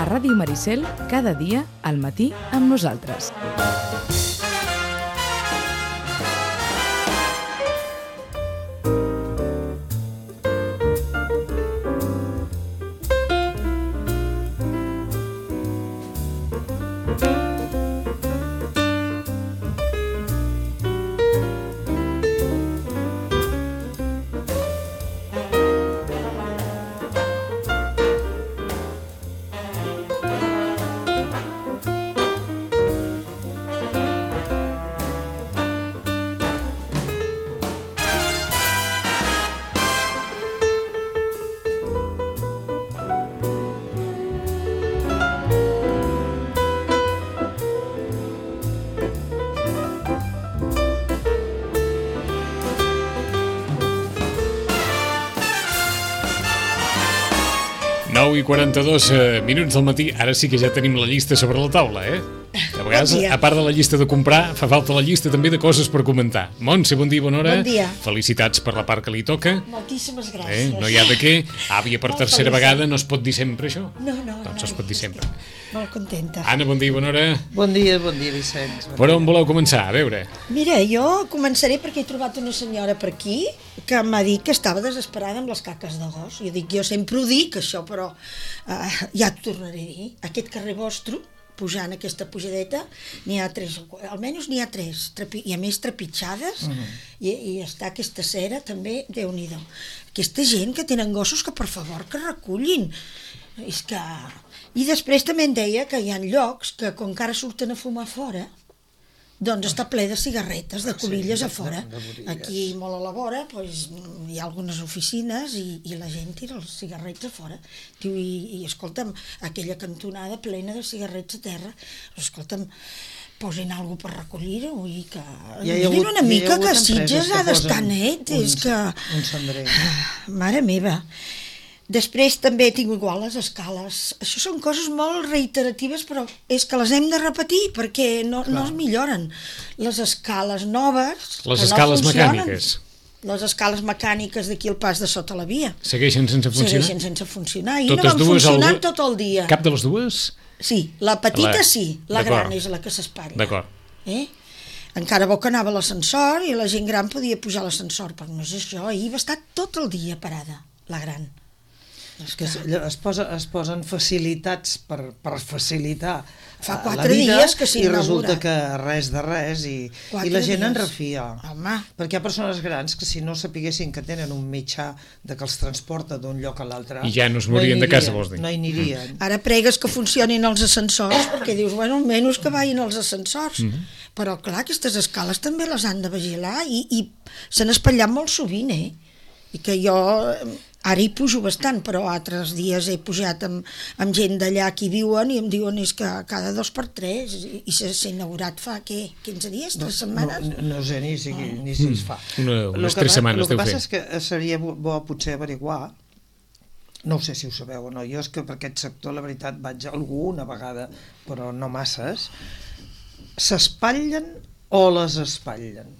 Ràdio Maricel, cada dia al matí amb nosaltres. I 42 minuts del matí, ara sí que ja tenim la llista sobre la taula, A vegades, a part de la llista de comprar, fa falta la llista també de coses per comentar. Montse, bon dia, bona hora. Bon dia. Felicitats per la part que li toca. Moltíssimes gràcies. No hi ha de què. Àvia per tercera vegada, no es pot dir sempre això? No. Doncs es pot dir sempre. Molt contenta. Anna, bon dia, bona hora. Bon dia, Vicenç. Per on voleu començar? A veure. Mira, jo començaré perquè he trobat una senyora per aquí que m'ha dit que estava desesperada amb les caques de gos. Jo sempre ho dic, això, però ja t'ho tornaré a dir. Aquest carrer vostre, pujant aquesta pujadeta, n'hi ha 3, almenys n'hi ha 3, i a més trepitjades, i està aquesta cera també, Déu-n'hi-do. Aquesta gent que tenen gossos que per favor que recullin. És que... I després també em deia que hi ha llocs que com que ara surten a fumar fora, doncs està ple de cigarretes, de colilles a fora. Aquí molt a la vora hi ha algunes oficines i la gent tira els cigarrets a fora. I escolta'm, aquella cantonada plena de cigarrets a terra, escolta'm, posin alguna cosa per recollir-ho i que... Mirin una mica que Sitges ha d'estar net, és que... Un cendrer. Mare meva. Després també tinc igual les escales. Això són coses molt reiteratives, però és que les hem de repetir perquè no es milloren. Les escales noves... Les escales mecàniques. Les escales mecàniques d'aquí al pas de sota la via. Segueixen sense funcionar? Segueixen sense funcionar. I no van funcionant tot el dia. Cap de les dues? Sí, la petita sí, la gran és la que s'espatlla. D'acord. Encara bo que anava a l'ascensor i la gent gran podia pujar a l'ascensor, però no és això. Ahir va estar tot el dia parada, la gran. És que es posen facilitats per facilitar fa 4 la vida dies que i resulta que res de res i la gent en refia. Home. Perquè hi ha persones grans que si no sapiguessin que tenen un mitjà de que els transporta d'un lloc a l'altre i ja no es morien de casa, vols dir? No hi anirien. Ara pregues que funcionin els ascensors perquè dius, bueno, almenys que vagin els ascensors. Però clar, aquestes escales també les han de vigilar i s'han espatllat molt sovint, i que jo ara hi pujo bastant, però altres dies he pujat amb gent d'allà que hi viuen i em diuen és que cada 2 per 3 i s'ha inaugurat fa, què, 15 dies, 3 setmanes? No sé ni si es fa. Unes 3 setmanes deu fer. El que passa és que seria bo potser averiguar, no sé si ho sabeu o no, jo és que per aquest sector la veritat vaig alguna vegada, però no masses, s'espatllen o les espatllen?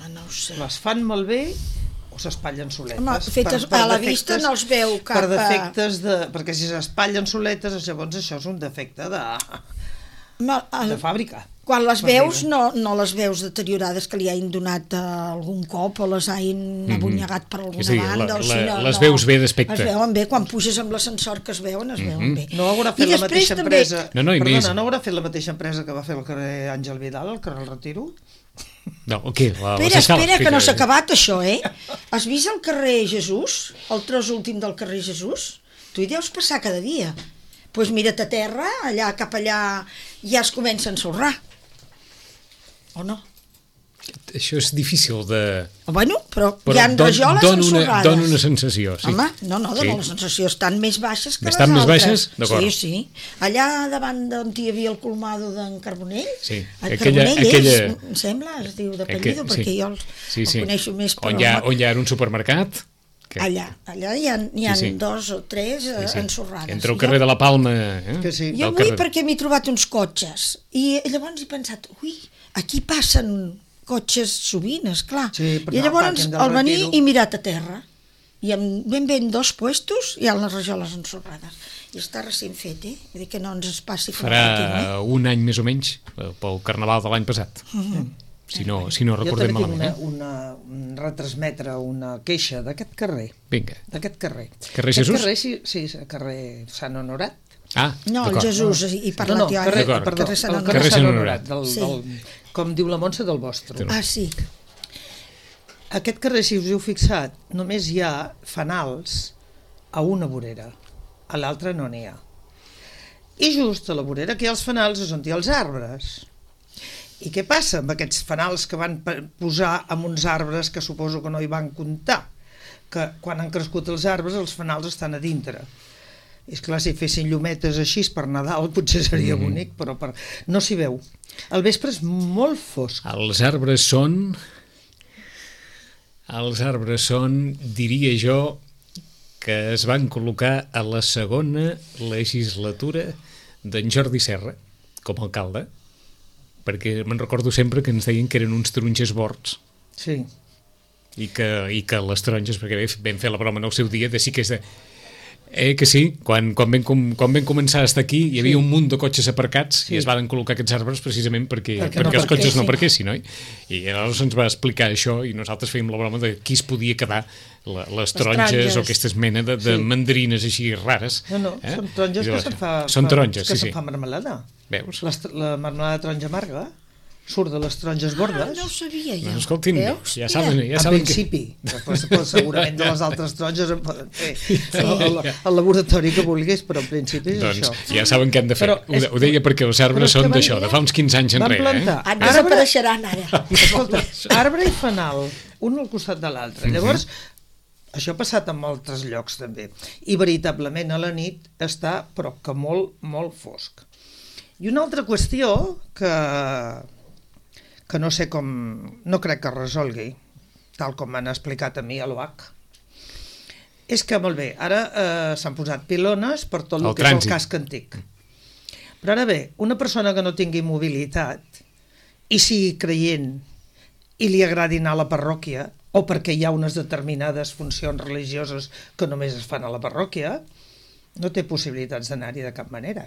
No ho sé. Les fan malbé o s'espatllen soletes? Home, fetes a la vista no els veu cap... Per defectes de... Perquè si s'espatllen soletes, llavors això és un defecte de fàbrica. Quan les veus, no les veus deteriorades que li hagin donat algun cop o les hagin abunyagat per alguna banda. Les veus bé d'aspecte. Es veuen bé, quan puges amb l'ascensor que es veuen bé. No haurà fet la mateixa empresa... Perdona, no haurà fet la mateixa empresa que va fer el carrer Àngel Vidal, el carrer El Retiro? No, què? Espera, que no s'ha acabat això, Has vist el carrer Jesús? El tros últim del carrer Jesús? Tu hi deus passar cada dia. Doncs mira't a terra, allà cap allà ja es comença a ensorrar. O no? això és difícil de... Bueno, però hi ha rajoles ensorrades. Dona una sensació, sí. Home, no, dona la sensació, estan més baixes que les estan altres. Més baixes? D'acord. Sí. Allà davant d'on hi havia el colmado d'en Carbonell, el aquella... em sembla, es diu d'apellido, perquè jo el coneixo més per... On hi ha un supermercat... Allà hi ha 2 o 3 ensorrades. Entre el carrer de la Palma... Jo vull perquè m'he trobat uns cotxes i llavors he pensat, aquí passen cotxes sovint, esclar. I llavors al venir he mirat a terra i ben bé en 2 puestos hi ha les rajoles ensorrades. I està recent fet, Vull dir que no ens passi... Farà un any més o menys pel Carnaval de l'any passat. Si no recordem malament. Jo també tinc retransmetre una queixa d'aquest carrer. Vinga. D'aquest carrer. Carrer Jesús? Sí, carrer Sant Honorat. No, el Jesús, i parlat jo ara. Carrer Sant Honorat. Com diu la Montse, del vostre. Sí. Aquest carrer, si us heu fixat, només hi ha fanals a una vorera, a l'altra no n'hi ha. I just a la vorera que hi ha els fanals és on hi ha els arbres. I què passa amb aquests fanals que van posar amb uns arbres que suposo que no hi van comptar? Que quan han crescut els arbres els fanals estan a dintre. És clar, si fessin llumetes així per Nadal potser seria bonic, però no s'hi veu. El vespre és molt fosc. Els arbres són, diria jo, que es van col·locar a la segona legislatura d'en Jordi Serra com a alcalde, perquè me'n recordo sempre que ens deien que eren uns taronges bords. Sí. I que les taronges, perquè vam fer la broma en el seu dia, de sí que és de... que sí, quan vam començar a estar aquí hi havia un munt de cotxes aparcats i es van col·locar aquests arbres precisament perquè els cotxes no aparquessin, oi? I llavors ens va explicar això i nosaltres fèiem la broma de qui es podia quedar les taronges o aquestes mena de mandarines així rares. No, són taronges que se'n fa marmelada. Veus? La marmelada de taronja amarga surt de les taronges bordes. No ho sabia jo. Escolti'm, ja saben en principi. Després segurament de les altres taronges en poden fer al laboratori que vulguis, però en principi és això. Doncs ja saben què han de fer. Ho deia perquè els arbres són d'això, de fa uns 15 anys enrere. Desapareixeran ara. Escolta, arbre i fanal, un al costat de l'altre. Llavors, això ha passat en altres llocs també. I veritablement a la nit està, però que molt, molt fosc. I una altra qüestió que no sé com... no crec que es resolgui, tal com m'han explicat a mi a l'OH, és que, molt bé, ara s'han posat pilones per tot el que és el casc antic. Però ara bé, una persona que no tingui mobilitat i sigui creient i li agradi anar a la parròquia, o perquè hi ha unes determinades funcions religioses que només es fan a la parròquia, no té possibilitats d'anar-hi de cap manera,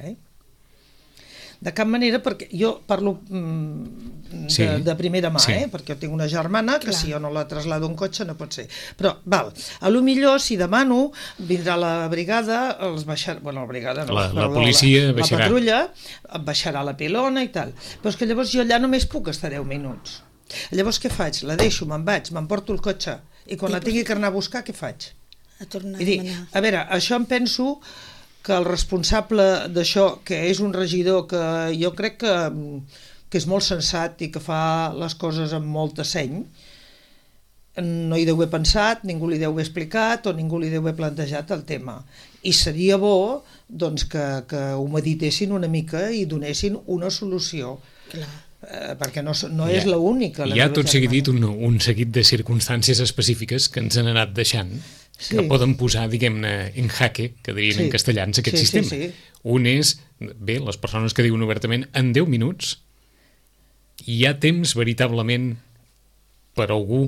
De cap manera, perquè jo parlo de primera mà, perquè jo tinc una germana que si jo no la traslado en cotxe no pot ser. Però, a lo millor, si demano, vindrà la brigada, la brigada no, la policia baixarà. La patrulla baixarà la pilona i tal. Però és que llavors jo allà només puc estar 10 minuts. Llavors què faig? La deixo, me'n vaig, m'emporto el cotxe i quan la tingui que anar a buscar, què faig? A tornar a demanar. A veure, això em penso que el responsable d'això, que és un regidor que jo crec que és molt sensat i que fa les coses amb molta seny, no hi deu haver pensat, ningú li deu haver explicat o ningú li deu haver plantejat el tema. I seria bo doncs, que ho meditessin una mica i donessin una solució. Clar. Perquè no és l'única. Hi ha tot seguit un seguit de circumstàncies específiques que ens han anat deixant, que poden posar, diguem-ne, en jaque, que dirien en castellans, aquest sistema. Un és, bé, les persones que diuen obertament, en 10 minuts hi ha temps veritablement per algú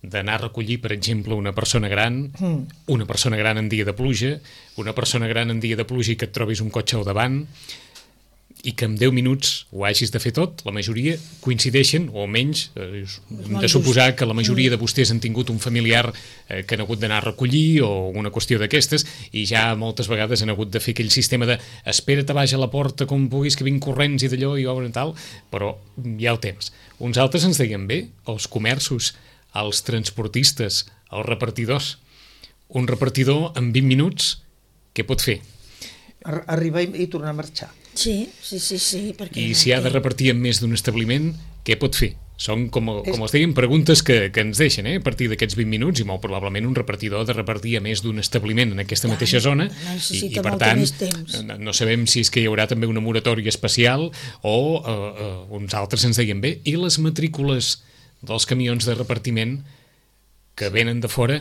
d'anar a recollir, per exemple, una persona gran en dia de pluja, una persona gran en dia de pluja i que et trobis un cotxe al davant, i que en 10 minuts ho hagis de fer tot, la majoria coincideixen, o almenys hem de suposar que la majoria de vostès han tingut un familiar que han hagut d'anar a recollir o una qüestió d'aquestes, i ja moltes vegades han hagut de fer aquell sistema de espera't a baix a la porta com puguis que vinc corrents i d'allò i obren tal, però hi ha el temps. Uns altres ens deien bé, els comerços, els transportistes, els repartidors. Un repartidor en 20 minuts, què pot fer? Arribar i tornar a marxar. Sí. I si ha de repartir en més d'un establiment, què pot fer? Són, com els dèiem, preguntes que ens deixen a partir d'aquests 20 minuts, i molt probablement un repartidor ha de repartir a més d'un establiment en aquesta mateixa zona, i per tant no sabem si és que hi haurà també una moratòria especial o uns altres ens deien bé, i les matrícules dels camions de repartiment que venen de fora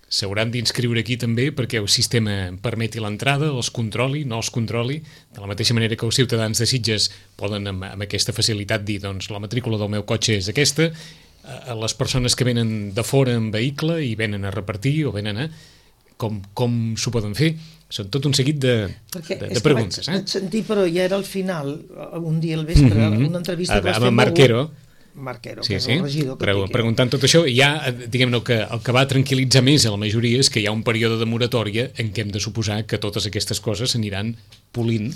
s'hauran d'inscriure aquí també perquè el sistema permeti l'entrada, els controli, no els controli, de la mateixa manera que els ciutadans de Sitges poden amb aquesta facilitat dir, doncs la matrícula del meu cotxe és aquesta, les persones que venen de fora en vehicle i venen a repartir o venen a... Com s'ho poden fer? Són tot un seguit de preguntes. Vaig sentir, però ja era al final, un dia al vespre, una entrevista que vas fer amb Marquero, sí, que és el regidor que preguntant tot això, i ja, diguem-ne, el que va tranquil·litzar més a la majoria és que hi ha un període de moratòria en què hem de suposar que totes aquestes coses s'aniran polint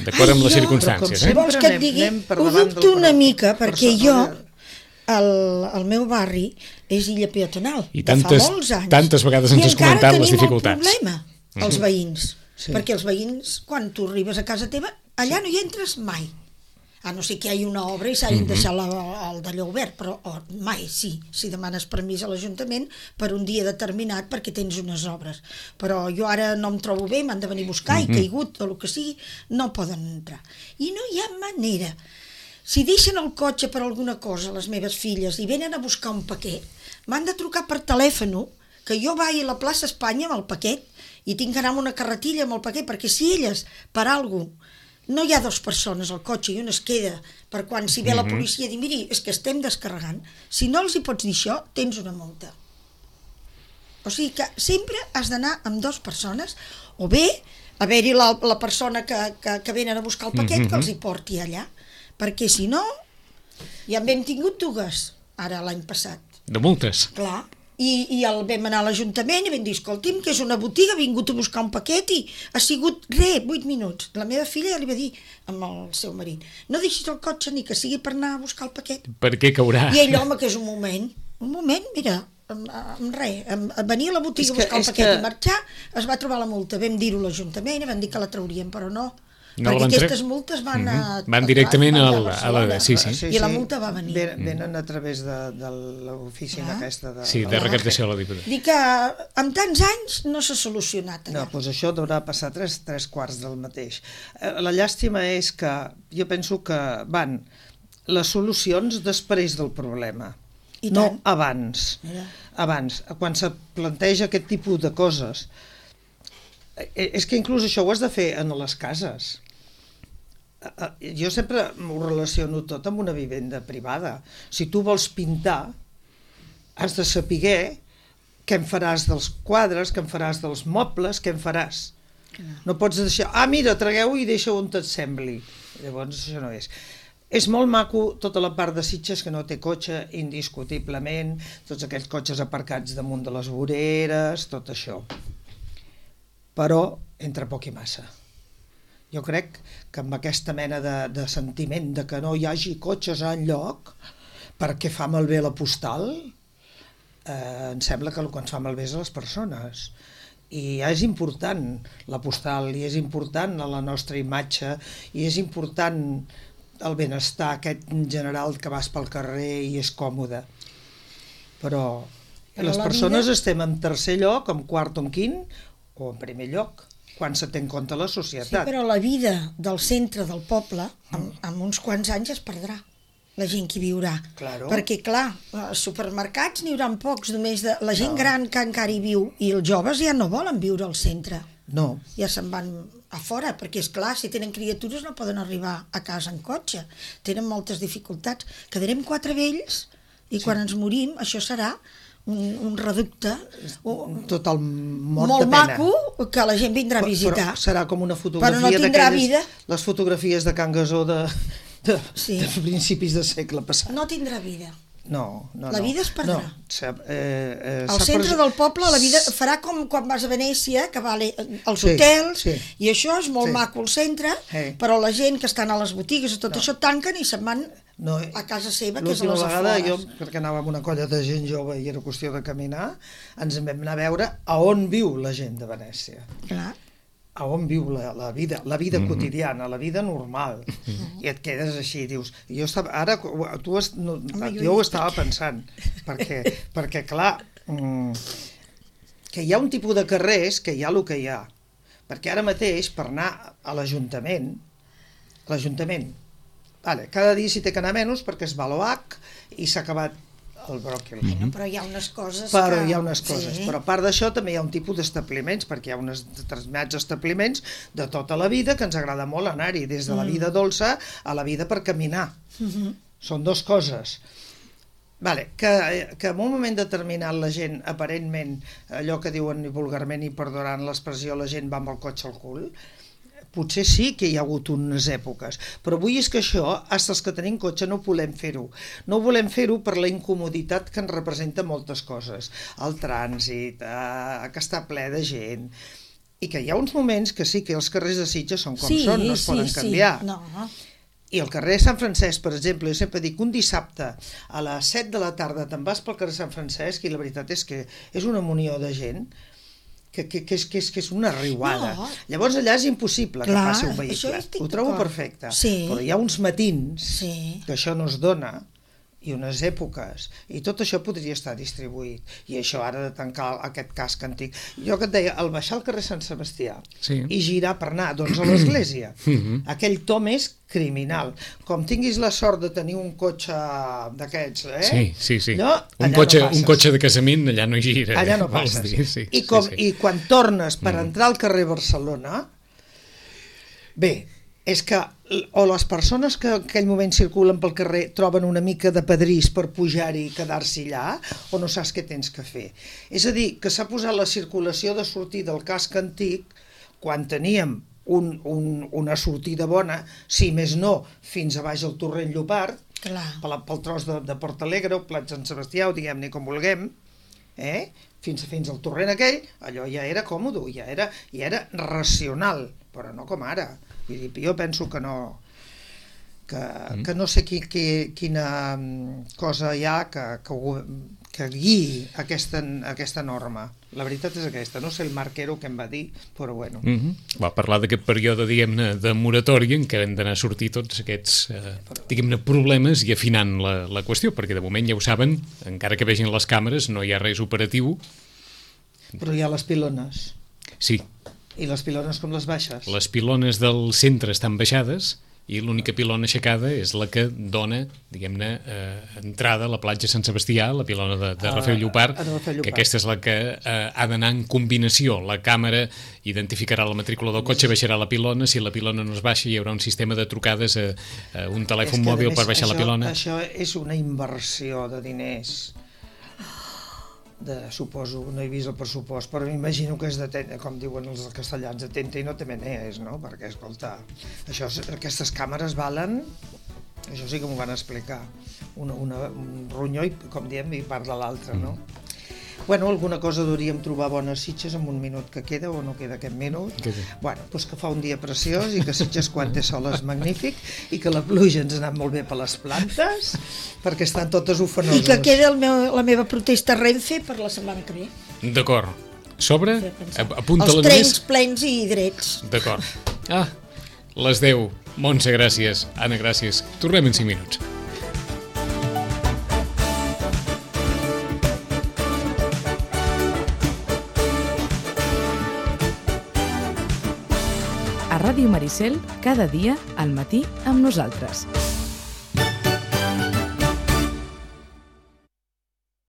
d'acord amb les circumstàncies. Vols que et digui? Ho dubto una mica, perquè jo, el meu barri és illa peatonal, i fa molts anys. Tantes vegades ens has comentat les dificultats. I encara tenim el problema, els veïns, perquè els veïns, quan tu arribes a casa teva, allà no hi entres mai. A no ser que hi hagi una obra i s'hagin deixat el d'allò obert, però mai, sí, si demanes permís a l'Ajuntament per un dia determinat perquè tens unes obres. Però jo ara no em trobo bé, m'han de venir a buscar, he caigut o el que sigui, no poden entrar. I no hi ha manera. Si deixen el cotxe per alguna cosa, les meves filles, i venen a buscar un paquet, m'han de trucar per telèfon, que jo vagi a la plaça Espanya amb el paquet i tinc que anar amb una carretilla amb el paquet, perquè si elles, per alguna cosa, no hi ha dues persones al cotxe i una es queda per quan si ve la policia dir, miri, és que estem descarregant. Si no els hi pots dir això, tens una multa. O sigui que sempre has d'anar amb dues persones, o bé haver-hi la persona que venen a buscar el paquet que els hi porti allà, perquè si no, ja en vam tingut dues, ara l'any passat. De multes? Clar. I vam anar a l'Ajuntament i vam dir, escolti'm, que és una botiga, ha vingut a buscar un paquet i ha sigut 8 minuts. La meva filla ja li va dir amb el seu marit, no deixis el cotxe ni que sigui per anar a buscar el paquet. Per què caurà? I ell, home, que és un moment, mira, amb res, venir a la botiga a buscar el paquet i marxar, es va trobar la multa. Vam dir-ho a l'Ajuntament i vam dir que la trauríem, però no. Perquè aquestes multes van directament a la... Sí. I la multa va venir. Venen a través de l'oficina aquesta de... Sí, de recaptació a la Diputació. Dic que amb tants anys no s'ha solucionat allà. No, doncs això deurà passar 3 quarts del mateix. La llàstima és que jo penso que van les solucions després del problema, no abans. Abans, quan se planteja aquest tipus de coses. És que inclús això ho has de fer en les cases. Jo sempre m'ho relaciono tot amb una vivenda privada. Si tu vols pintar, has de saber què en faràs dels quadres, què en faràs dels mobles, què en faràs. No pots deixar, mira, tragueu-ho i deixa-ho on et sembli. Llavors això no és. És molt maco tota la part de Sitges que no té cotxe, indiscutiblement, tots aquells cotxes aparcats damunt de les voreres, tot això. Però entre poc i massa. Jo crec que amb aquesta mena de sentiment de que no hi hagi cotxes enlloc perquè fa malbé la postal, em sembla que el que ens fa malbé és a les persones. I és important la postal, i és important la nostra imatge, i és important el benestar aquest general que vas pel carrer i és còmode. Però les persones estem en tercer lloc, en quart o en quint, o en primer lloc, quan se té en compte la societat. Sí, però la vida del centre del poble, en uns quants anys es perdrà, la gent que hi viurà. Claro. Perquè, clar, supermercats n'hi haurà pocs, només de la gent gran que encara hi viu, i els joves ja no volen viure al centre. No. Ja se'n van a fora, perquè, és clar, si tenen criatures no poden arribar a casa en cotxe. Tenen moltes dificultats. Quedarem 4 vells, i quan ens morim, això serà un reducte total mort molt de pena. maco que la gent vindrà a visitar, però serà com una fotografia, però no tindrà vida. Les fotografies de Can Gasó de principis del segle passat. No tindrà vida. No. La vida es perdrà. Al centre del poble la vida farà com quan vas a Venècia, que va als hotels, i això és molt maco al centre, però la gent que estan a les botigues i tot això tanquen i se'n van a casa seva, que és a les afores. L'última vegada, jo, perquè anava amb una colla de gent jove i era qüestió de caminar, ens en vam anar a veure a on viu la gent de Venècia. Clar. a on viu la vida quotidiana, la vida normal, i et quedes així, dius, jo ho estava pensant, perquè clar, que hi ha un tipus de carrers que hi ha el que hi ha, perquè ara mateix per anar a l'Ajuntament, cada dia s'hi té que anar menys perquè es va l'OH i s'ha acabat el bròquil. Però hi ha unes coses però a part d'això també hi ha un tipus d'establiments, perquè hi ha uns determinats establiments de tota la vida que ens agrada molt anar-hi, des de la vida dolça a la vida per caminar. Són dues coses. Que en un moment determinat la gent, aparentment, allò que diuen vulgarment i perdonaran l'expressió, la gent va amb el cotxe al cul, potser sí que hi ha hagut unes èpoques, però avui és que això, fins els que tenim cotxe, no volem fer-ho. No volem fer-ho per la incomoditat que ens representa moltes coses. El trànsit, que està ple de gent, i que hi ha uns moments que sí que els carrers de Sitges són com són, no es poden canviar. I el carrer Sant Francesc, per exemple, jo sempre dic, un dissabte a les 7 de la tarda te'n vas pel carrer Sant Francesc i la veritat és que és una munió de gent que és una riuada. Llavors allà és impossible que passi un vehicle. Ho trobo perfecte. Però hi ha uns matins que això no es dona, i unes èpoques, i tot això podria estar distribuït. I això ara de tancar aquest casc antic. Jo que et deia, al baixar al carrer Sant Sebastià i girar per anar doncs, a l'església, aquell tom és criminal. Com tinguis la sort de tenir un cotxe d'aquests, Sí. Un cotxe de casament, allà no gira. Allà no passes. I quan tornes per entrar al carrer Barcelona, bé, és que o les persones que en aquell moment circulen pel carrer troben una mica de pedrís per pujar-hi i quedar-s'hi allà, o no saps què tens que fer. És a dir, que s'ha posat la circulació de sortir del casc antic quan teníem una sortida bona, si més no, fins a baix al Torrent Llopart, pel tros de Portalegre o Plat Sant Sebastià, o diguem-ne com vulguem, fins al torrent aquell, allò ja era còmode, ja era racional, però no com ara. Jo penso que no, que no sé quina cosa hi ha que guiï aquesta norma. La veritat és aquesta, no sé el marquero que em va dir, però bueno. Va parlar d'aquest període, diguem-ne, de moratòria en què hem d'anar a sortir tots aquests, diguem-ne, problemes i afinant la qüestió, perquè de moment ja ho saben, encara que vegin les càmeres, no hi ha res operatiu. Però hi ha les pilones. Sí. I les pilones com les baixes? Les pilones del centre estan baixades i l'única pilona aixecada és la que dona, diguem-ne, entrada a la platja Sant Sebastià, la pilona de Rafael Llopart, que aquesta és la que ha d'anar en combinació. La càmera identificarà la matrícula del cotxe, baixarà la pilona, si la pilona no es baixa hi haurà un sistema de trucades a un telèfon mòbil per baixar la pilona. Això és una inversió de diners. Suposo, no he vist el pressupost, però m'imagino que és com diuen els castellans, de tenta i no te menees, no? Perquè, escolta, aquestes càmeres valen, això sí que m'ho van explicar, un ronyó, com diem, i part de l'altre, no? Bueno, alguna cosa hauríem trobar bones Sitges en un minut que queda o no queda aquest minut. Bueno, doncs que fa un dia preciós i que Sitges quan té sol és magnífic i que la pluja ens ha anat molt bé per les plantes perquè estan totes ufanoses. I que queda la meva protesta a Renfe per la setmana que ve. D'acord. Sobre? Apunta-la els trens plens i drets. D'acord. Les 10. Montse, gràcies. Anna, gràcies. Tornem en 5 minuts. A Ràdio Maricel, cada dia, al matí, amb nosaltres.